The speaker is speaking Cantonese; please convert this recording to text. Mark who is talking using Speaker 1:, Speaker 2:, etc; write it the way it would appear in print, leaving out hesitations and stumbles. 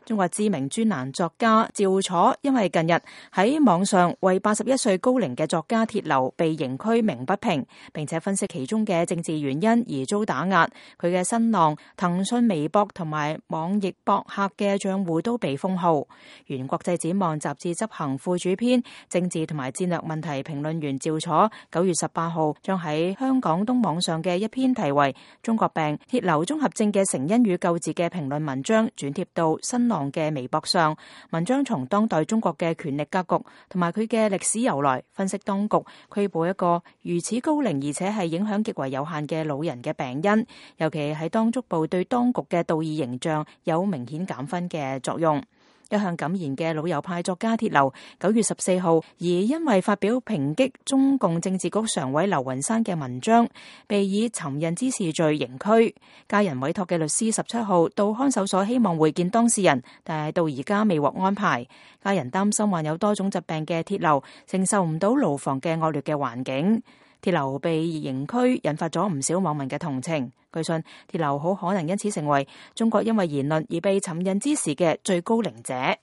Speaker 1: 中國知名專欄作家趙楚因為近日喺網上為81歲高齡嘅作家鐵流被刑拘鳴不平，並且分析其中嘅政治原因而遭打壓。佢嘅新浪、騰訊微博同埋網易博客嘅賬戶都被封號。原國際展望雜誌執行副主編、政治同埋戰略問題評論員趙楚9月18號將喺香港東網上嘅一篇題為《中國病：鐵流綜合症嘅成因與救治》嘅評論文章轉貼到新浪嘅微博上。文章從當代中國嘅權力格局同埋佢嘅歷史由來，分析當局拘捕一個如此高齡而且係影響極為有限嘅老人嘅病因，尤其係當足部對當局嘅道義形象有明顯減分嘅作用。一向敢言嘅老右派作家鐵流9月14號，而因為發表抨擊中共政治局常委劉雲山嘅文章，被以尋釁滋事罪刑拘。家人委託嘅律師17號到看守所希望會見當事人，但係到而家未獲安排。家人擔心患有多種疾病嘅鐵流承受唔到牢房嘅惡劣嘅環境。鐵流被刑拘引發咗唔少網民嘅同情。據信鐵流好可能因此成為中國因為言論而被尋釁滋事嘅最高齡者。